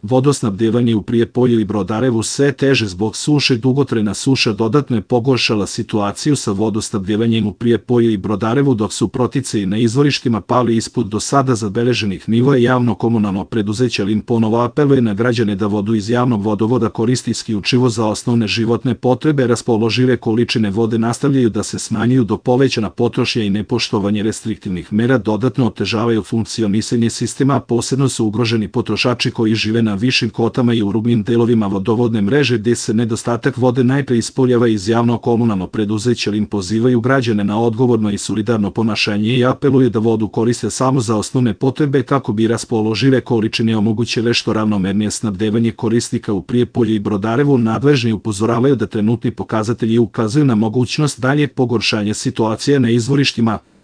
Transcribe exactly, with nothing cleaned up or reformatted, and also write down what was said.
Vodosnabdevanje u Prijepolju i Brodarevu sve teže zbog suše. Dugotrajna suša dodatno je pogoršala situaciju sa vodosnabdevanjem u Prijepolju i Brodarevu, dok su proticaji na izvorištima pali ispod do sada zabeleženih nivoa. Javno komunalno preduzeće Lim ponovo apeluje na građane da vodu iz javnog vodovoda koristi isključivo za osnovne životne potrebe. Raspoložive količine vode nastavljaju da se smanjuju, do povećana potrošnja i nepoštovanje restriktivnih mera dodatno otežavaju funkcionisanje sistema, a posebno su ugroženi potrošači koji žive na višim kotama i u rubnim delovima vodovodne mreže, gde se nedostatak vode najpre ispoljava. Iz javno komunalno preduzeće Lim pozivaju građane na odgovorno i solidarno ponašanje i apeluju da vodu koriste samo za osnovne potrebe kako bi raspoložive količine omogućile što ravnomernije snabdevanje korisnika u Prijepolju i Brodarevu. Nadležni upozoravaju da trenutni pokazatelji ukazuju na mogućnost daljeg pogoršanja situacije na izvorištima.